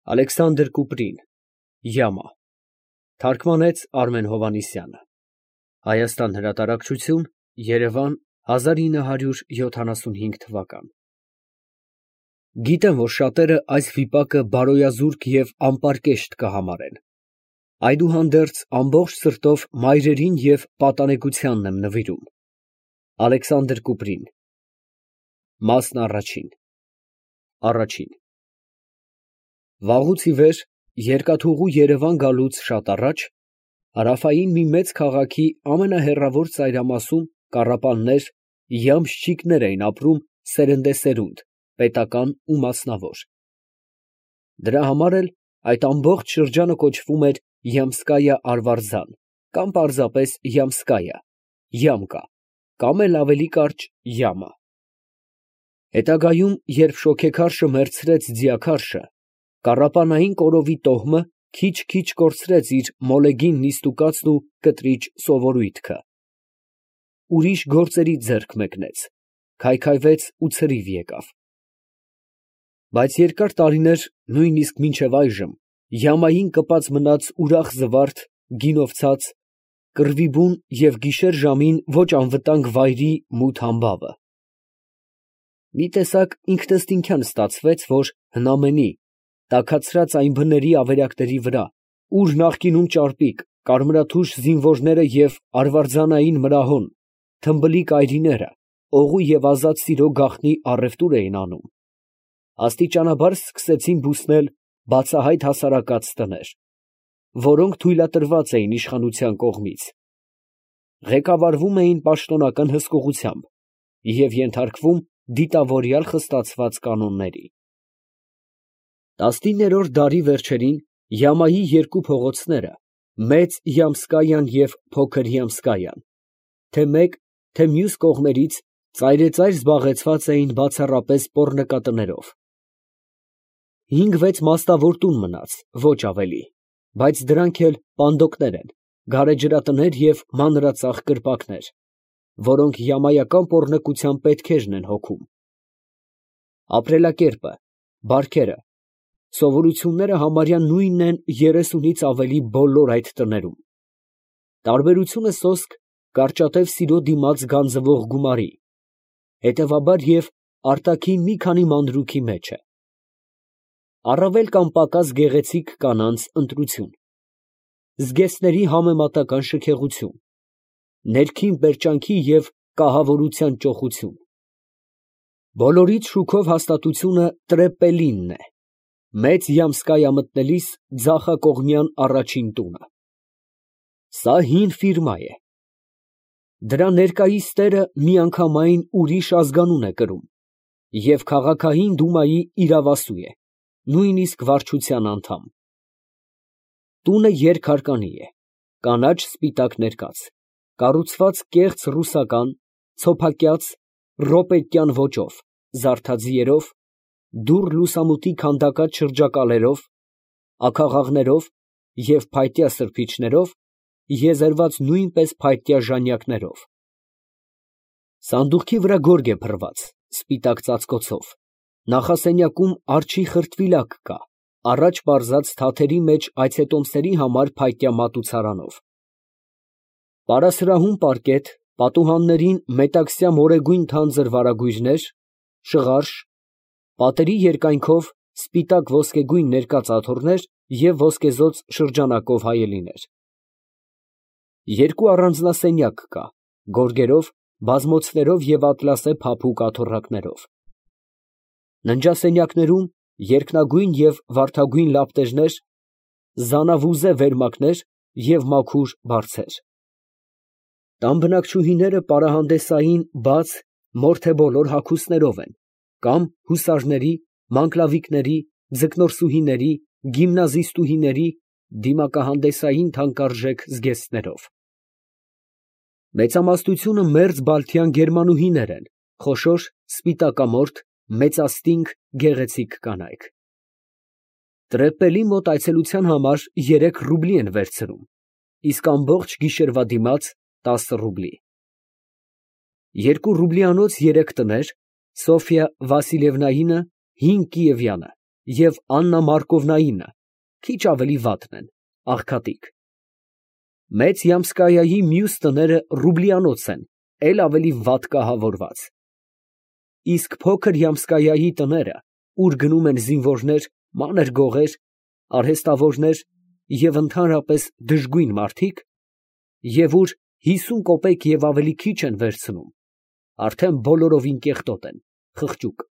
Ալեքսանդր Կուպրին, Յամա, թարգմանեց Արմեն Հովհաննիսյանը, Հայաստան հրատարակչություն, Երևան 1975 թվական։ Գիտեմ, որ շատերը այս վիպակը բարոյազուրկ և անպարկեշտ կհամարեն, այդուհանդերձ ամբողջ սրտով մայրերին և պատանեկությանն եմ նվիրում։ Ալեքսանդր Կուպրին, Մասն առաջին Վաղուց ի վեր, երկաթուղու Երևան գալուց շատ առաջ, հարավային մի մեծ քաղաքի ամենահեռավոր ծայրամասում կառապաններ, յամշչիկներ էին ապրում սերնդեսերունդ, պետական ու մասնավոր։ Դրա համար էլ այդ ամբողջ շրջանը կոչվում էր Յամսկայա Արվարձան, կամ պարզապես Յամսկայա, Յամկա, կամ էլ ավելի կարճ Յամա։ Հետագայում, երբ շոգեքարշը մեռցրեց ձիաքարշը, կառապանային կորովի տոհմը քիչ-քիչ կորցրեց իր մոլեգին նիստուկացն ու կտրիչ սովորույթքը, ուրիշ գործերի ձեռք մեկնեց, քայքայվեց ու ցրիվ եկավ։ Բայց երկար տարիներ, նույնիսկ մինչև այժմ, Յամային կպած մնաց ուրախ զվարթ, գինով ցած, կռվի բուն և գիշեր ժամին ոչ անվտանգ վայրի մութ համբավը։ Մի տեսակ ինքնըստինքյան ստացվեց, որ հնամենի, տաքացրած այն բների ավերակների վրա, ուր նախկինում ճարպիկ, կարմրաթուշ զինվորները և արվարձանային մրահոն, թմբլիկ այրիները, օղու և ազատ սիրո գաղտնի առևտուր էին անում, աստիճանաբար սկսեցին բուսնել բացահայտ հասարակած տներ, որոնք թույլատրված էին իշխանության կողմից, ղեկավարվում էին պաշտոնական հսկողությամբ և ենթարկվում դիտավորյալ խստացված կանոնների։ 19-րդ դարի վերջերին Յամայի երկու փողոցները, Մեծ Յամսկայան և Փոքր Յամսկայան, թե մեկ, թե մյուս կողմերից ծայրեծայր զբաղեցված էին բացառապես պոռնկատներով։ 5-6 մաստավոր տուն մնաց, ոչ ավելի, բայց դրանք էլ պանդոկներ են, գարեջրատներ և մանրածախ կրպակներ, որոնք յամայական պոռնկության պետքերն են հոգում։ Ապրելակերպը, բարքերը, սովորությունները համարյա նույնն են 30-ից ավելի բոլոր այդ տներում։ Տարբերությունը սոսկ կարճատև սիրո դիմաց գանձվող գումարի, հետևաբար և արտաքին մի քանի մանրուքի մեջ է։ Առավել կամ պակաս գեղեցիկ կանանց ընտրություն, զգեստների համեմատական շքեղություն, ներքին պերճանքի և կահավորության ճոխություն։ Բոլորից շուքով հաստատությունը Տրեպպելինն է, Մեծ Յամսկայա մտնելիս ձախակողմյան առաջին տունը։ Սա հին ֆիրմա է։ Դրա ներկայիս տերը միանգամայն ուրիշ ազգանուն է կրում և քաղաքային դումայի իրավասու է, նույնիսկ վարչության անդամ։ Տունը երկհարկանի է, կանաչ֊սպիտակ ներկած, կառուցված կեղծ ռուսական, ցոփակյաց, ռոպետյան ոճով, զարդաձիերով, դուռ լուսամուտի քանդակած շրջակալերով, աքաղաղներով և փայտյա սրբիչներով, եզերված նույնպես փայտյա ժանյակներով։ Սանդուղքի վրա գորգ է փռված, սպիտակ ծածկոցով, նախասենյակում արջի խրտվիլակ կա, առաջ պարզած թաթերի մեջ այցետոմսերի համար փայտյա մատուցարանով։ Պարասրահում պարկետ, պատուհաններին մետաքսյա մորեգույն թանձր վարագույրներ, շղարշ, պատերի երկայնքով սպիտակ ոսկեգույն ներկած աթոռներ և ոսկեզօծ շրջանակով հայելիներ։ Երկու առանձնասենյակ կա, գորգերով, բազմոցներով և ատլասե փափուկ աթոռակներով։ Ննջասենյակներում երկնագույն և վարդագույն լապտերներ, զանավուզե վերմակներ և մաքուր բարձեր։ Տան բնակչուհիները պարահանդեսային բաց, մորթեբոլոր հագուստներով են, կամ հուսարների, մանկլավիկների, ձկնորսուհիների, գիմնազիստուհիների, դիմակահանդեսային թանկարժեք զգեստներով։ Մեծամասնությունը մերձ բալթյան գերմանուհիներ են, խոշոր, սպիտակամորթ, մեծաստինգ, գեղեցիկ կանայք։ Տրեպպելի մոտ այցելության համար 3 ռուբլի են վերցնում, իսկ ամբողջ գիշերվա դիմաց 10 ռուբլի։ 2 ռուբլիանոց 3 տներ, Սոֆյա Վասիլևնայինը, հին կիևյանը, և Աննա Մարկովնայինը քիչ ավելի վատն են, աղքատիկ։ Մեծ Յամսկայայի մյուս տները Ռուբլիանոց են, էլ ավելի վատ կահավորված։ Իսկ փոքր Յամսկայայի տները, ուր գնում են զինվորներ, մանր գողեր, արհեստավորներ և ընդհանրապես դժգույն մարդիկ, և ուր 50 կոպեկ և ավելի քիչ են վերցնում, արդեն բոլորովին կեղտոտ են, խղճուկ։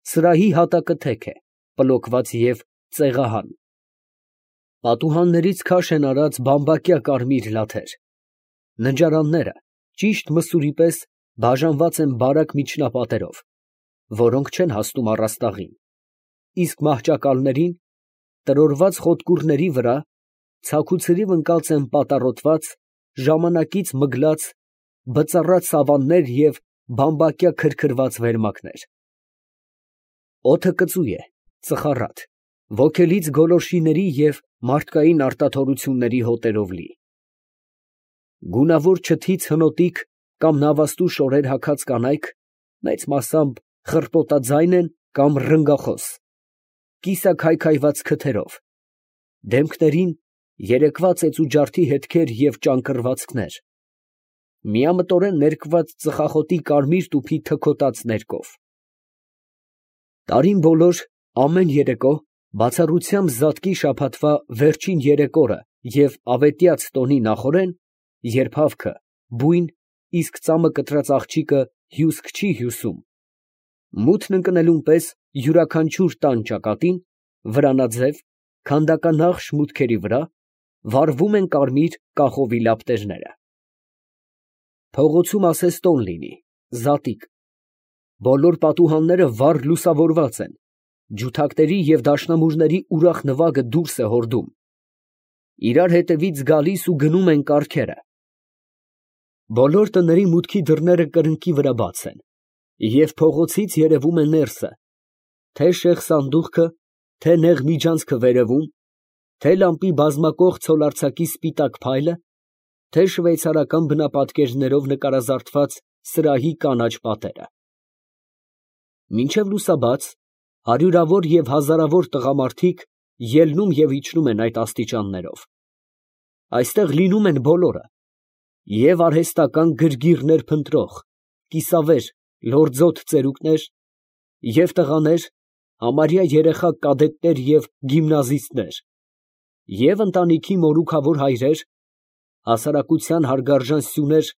Սրահի հատակը թեք է, պլոկված և ծեղահան։ Պատուհաններից քաշ են արած բամբակյա կարմիր լաթեր։ Ննջարանները ճիշտ մսուրի պես բաժանված են բարակ միջնապատերով, որոնք չեն հասնում առաստաղին, իսկ մահճակալներին, տրորված խոտկուռների վրա, ցաքուցրիվ ընկած են պատառոտված, ժամանակից մգլած, բծառած սավաններ և բամբակյա քրքրված վերմակներ։ Օդը կծու է, ծխառատ, ոգելից գոլորշիների և մարդկային արտաթորությունների հոտերով լի։ Գունավոր չթից հնոտիկ կամ նավաստու շորեր հագած կանայք մեծ մասամբ խռպոտաձայն են կամ ռնգախոս, կիսաքայքայված քթերով, դեմքներին երեկվա ծեծուջարդի հետքեր և ճանկռվածքներ, միամտորեն ներկված ծխախոտի կարմիր տուփի թքոտած ներկով։ Տարին բոլոր ամեն երեկո, բացառությամբ զատկի շաբաթվա վերջին երեք օրը և ավետյաց տոնի նախօրեն, երբ հավքը, բույն, իսկ ծամը կտրած աղջիկը հյուսք չի հյուսում, մութն ընկնելուն պես յուրաքանչյուր տան ճակատին, վրանաձև, քանդականախշ մուտքերի վրա վառվում են կարմիր կախովի լապտերները։ Փողոցում ասես տոն լինի, զատիկ, բոլոր պատուհանները վառ լուսավորված են, ջութակների և դաշնամուրների ուրախ նվագը դուրս է հորդում, իրար հետևից գալիս ու գնում են կառքերը։ Բոլոր տների մուտքի դռները կրնկի վրա բաց են, և փողոցից երևում է ներսը, թե շեխ սանդուղքը, թե նեղ միջանցքը վերևում, թե լամպի բազմակող ցոլարձակի սպիտակ փայլը, թե շվեյցարական բնապատկերներով նկարազարդված սրահի կանաչ պատերը։ Մինչև լուսաբաց հարյուրավոր և հազարավոր տղամարդիկ ելնում և իջնում են այդ աստիճաններով։ Այստեղ լինում են բոլորը, և արհեստական գրգիռներ փնտրող, կիսավեր, լորձոտ ծերուկներ, և տղաներ, համարյա երեխա կադետներ և գիմնազիստներ, և ընտանիքի մորուքավոր հայրեր, հասարակության հարգարժան սյուներ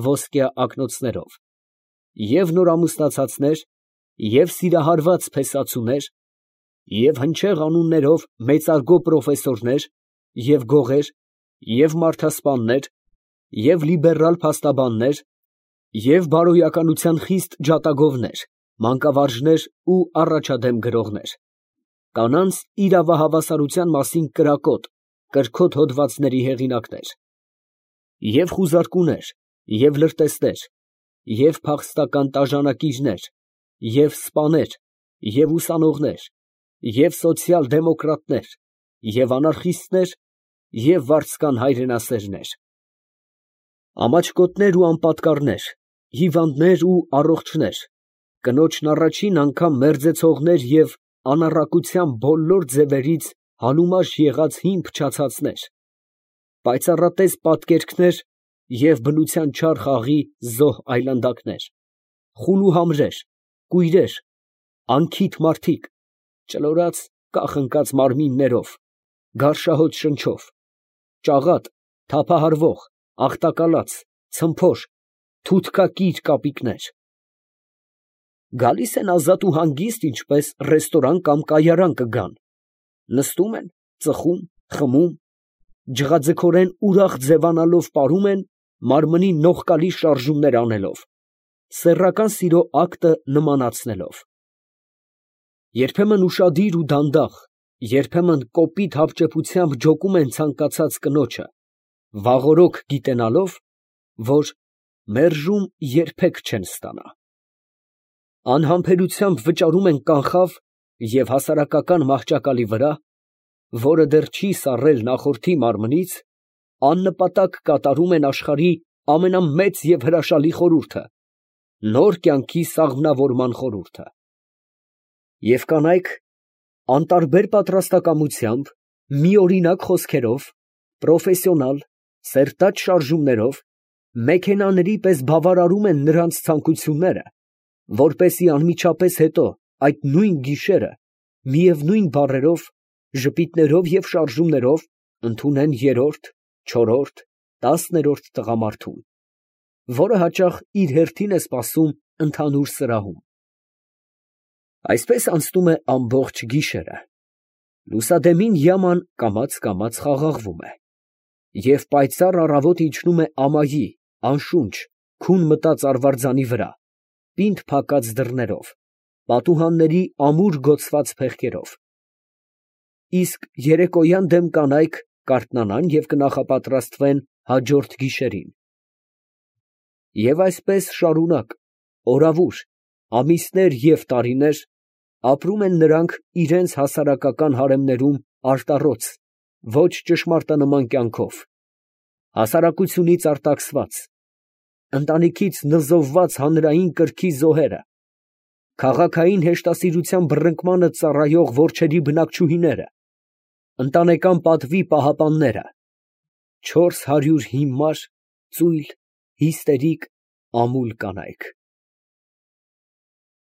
ոսկյա ակնոցներով, և նորամուսնացածներ, և սիրահարված փեսացուներ, և հնչեղ անուններով մեծարգո պրոֆեսորներ, և գողեր, և մարդասպաններ, և լիբերալ փաստաբաններ, և բարոյականության խիստ ջատագովներ, մանկավարժներ ու առաջադեմ գրողներ, կանանց իրավահավասարության մասին կրակոտ, կրքոտ հոդվածների հեղինակներ, և խուզարկուներ, և լրտեսներ, և փախստական տաժանակիրներ, և սպաներ, և ուսանողներ, և սոցիալ֊դեմոկրատներ, և անարխիստներ, և վարձկան հայրենասերներ, ամաչկոտներ ու անպատկառներ, հիվանդներ ու առողջներ, կնոջն առաջին անգամ մերձեցողներ և անառակության բոլոր ձևերից համումաշ եղած հին փչացածներ, պայծառատես պատկերքներ և բնության չար խաղի զոհ այլանդակներ, խուլուհամրեր, կույրեր, անքիթ մարդիկ, ճլորած կախ ընկած մարմիններով, գարշահոտ շնչով, ճաղատ, թափահարվող, աղտակալած, ցմփոր, թութկակիր կապիկներ, գալիս են ազատ ու հանգիստ, ինչպես ռեստորան կամ կայարան կգան, նստում են, ծխում, խմում, ջղաձգորեն ուրախ ձևանալով պարում են, մարմնին նողկալի շարժումներ անելով, սեռական սիրո ակտը նմանացնելով, երբեմն ուշադիր ու դանդաղ, երբեմն կոպիտ հապճեպությամբ ջոկում են ցանկացած կնոջը, վաղօրոք գիտենալով, որ մերժում երբեք չեն ստանա, անհամբերությամբ վճարում են կանխավ և հասարակական մահճակալի վրա, որը դեռ չի սառել նախորդի մարմնից, աննպատակ կատարում են աշխարհի ամենամեծ և հրաշալի խորհուրդը, նոր կյանքի սաղմնավորման խորհուրդը։ Եվ կանայք, անտարբեր պատրաստակամությամբ, միօրինակ խոսքերով, պրոֆեսիոնալ, սերտած շարժումներով, մեքենաների պես բավարարում են նրանց ցանկությունները, որպեսզի անմիջապես հետո այդ նույն գիշերը միևնույն բառերով, ժպիտներով և շարժումներով ընդունեն երրորդ, չորրորդ, 10-րդ տղամարդուն, որը հաճախ իր հերթին է սպասում ընդհանուր սրահում։ Այսպես անցնում է ամբողջ գիշերը. լուսադեմին յաման կամաց խաղաղվում է, և պայծառ առավոտը իջնում է ամայի, անշունչ, քուն մտած արվարձանի վրա, պինդ փակած դռներով, պատուհանների ամուր գոցված փեղկերով, իսկ երեկոյան դեմ կանայք կարթնանան և կնախապատրաստվեն հաջորդ գիշերին։ Եվ այսպես շարունակ, օրավուր, ամիսներ և տարիներ ապրում են նրանք իրանց հասարակական հարեմներում արտառոց, ոչ ճշմարտանման կյանքով, հասարակությունից արտաքսված, ընտանիքից նզովված հանրային կրքի զոհերը, քաղաքային հեշտասիրության բռնկմանը ծառայող որջերի բնակչուհիները, ընտանեկան պատվի պահապանները, 400 հիմար, ծույլ, հիստերիկ, ամուլ կանայք։